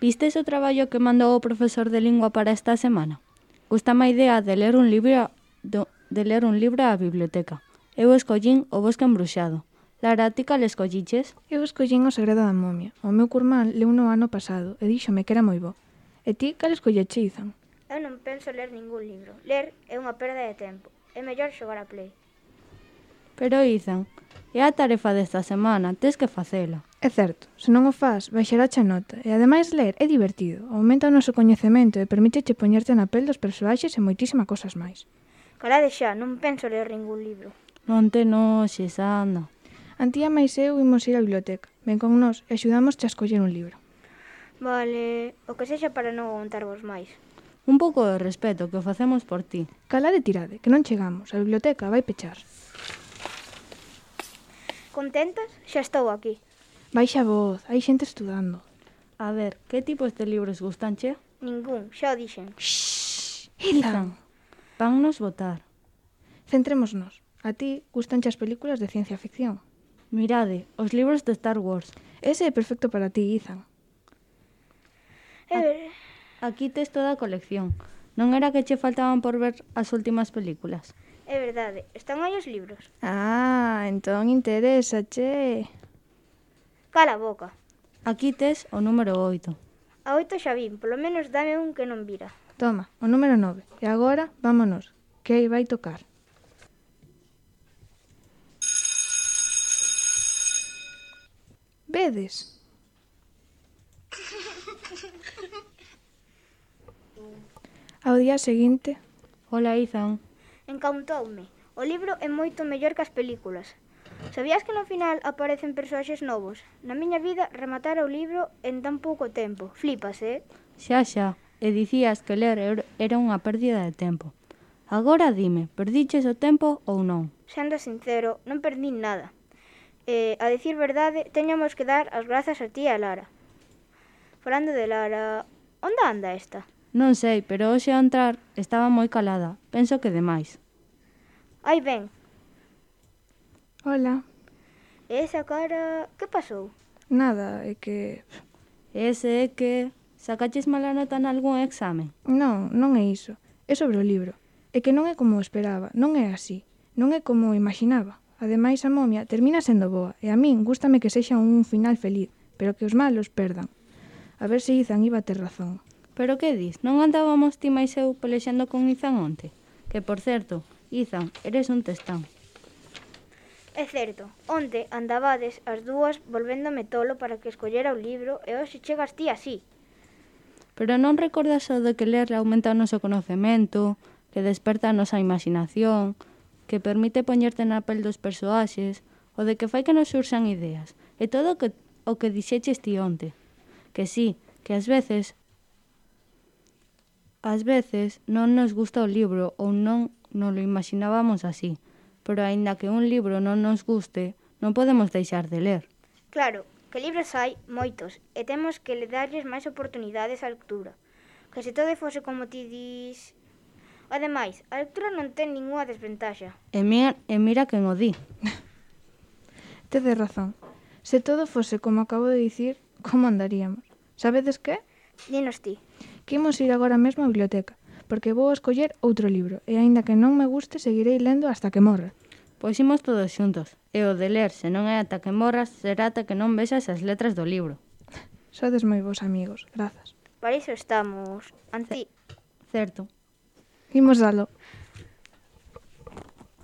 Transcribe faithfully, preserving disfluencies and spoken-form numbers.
Vistes o traballo que mandou o profesor de lingua para esta semana? Gústame a idea de ler un libro do, de ler un libro á biblioteca. Eu escollín O bosque embruxado. Lara, ti cal escolliches? Eu escollín O segredo da momia. O meu curmán leu no ano pasado e díxome que era moi bo. E ti cal escolleche, Izan? Eu non penso ler ningún libro. Ler é unha perda de tempo. É mellor xogar a Play. Pero, Izan, é a tarefa desta semana, tes que facela. É certo, se non o faz, baixarache a nota. E ademais ler é divertido, aumenta o noso coñecemento e permíteche poñerte na pel dos persoaxes e moitísimas cosas máis. Calade xa, non penso ler ningún libro. Non te noxes, anda. Antía máis eu imos ir á biblioteca. Ven con nós e axudamos a escoller un libro. Vale, o que sexa para non aguantarvos máis. Un pouco de respeto, que o facemos por ti. Calade tirade, que non chegamos. A biblioteca vai pechar. Contentas? Xa estou aquí. Baixa a voz, hai xente estudando. A ver, que tipos de libros gustanche? Ningún, xa o dixen. Shhh, Izan, vannos votar. Centrémonos. A ti gustanche as películas de ciencia ficción. Mirade, os libros de Star Wars. Ese é perfecto para ti, Izan. Eh... Aquí tes toda a colección. Non era que che faltaban por ver as últimas películas? É verdade, están aí os libros. Ah, entón interesa, che. Cala a boca. Aquí tes o número oito. A oito xa vin, polo menos dame un que non vira. Toma, o número nove. E agora, vámonos, que aí vai tocar. Vedes? Ao día seguinte... Hola, Izan. Encautoume. O libro é moito mellor que as películas. Sabías que no final aparecen persoaxes novos? Na miña vida, rematar o libro en tan pouco tempo. Flipas, eh? Xa, xa. E dicías que ler era unha pérdida de tempo. Agora dime, perdiches o tempo ou non? Sendo sincero, non perdín nada. E, a dicir verdade, teñamos que dar as grazas a ti e a Lara. Falando de Lara, onde anda esta? Non sei, pero hoxe ao entrar estaba moi calada. Penso que demais. Ai, ben. Hola. E esa cara... Que pasou? Nada, é que... Ese é que... Sacaches mala nota nalgún examen? Non, non é iso. É sobre o libro. É que non é como esperaba, non é así. Non é como imaginaba. Ademais, a momia termina sendo boa, e a min gústame que sexa un final feliz, pero que os malos perdan. A ver se Izan iba a ter razón. Pero que dis? Non andábamos ti máis eu pelexando con Izan onte? Que, por certo, Izan, eres un testán. É certo, onte andabades as dúas volvéndome tolo para que escollera o libro e hoxe chegas ti así. Pero non recordas o de que ler aumenta o noso conocemento, que desperta a nosa imaginación, que permite poñerte na pel dos persoaxes, o de que fai que nos surxan ideas, e todo o que, o que dixeches ti onte. Que sí, que ás veces, ás veces non nos gusta o libro ou non nos lo imaginábamos así, pero aínda que un libro non nos guste, non podemos deixar de ler. Claro, que libros hai moitos, e temos que le darlles máis oportunidades á lectura. Que se todo fose como ti dis... Ademais, a lectura non ten ninguna desventaxa. E mira, e mira quen o di. Tedes razón. Se todo fose como acabo de dicir, como andaríamos? Sabedes que? Dinos ti. Que imos ir agora mesmo á biblioteca, porque vou escoller outro libro, e aínda que non me guste, seguirei lendo hasta que morra. Pois imos todos xuntos, e o de ler, se non é ata que morras, será ata que non vexas as letras do libro. Sodes moi vos amigos, grazas. Para iso estamos. Anti... Certo. Imos dalo.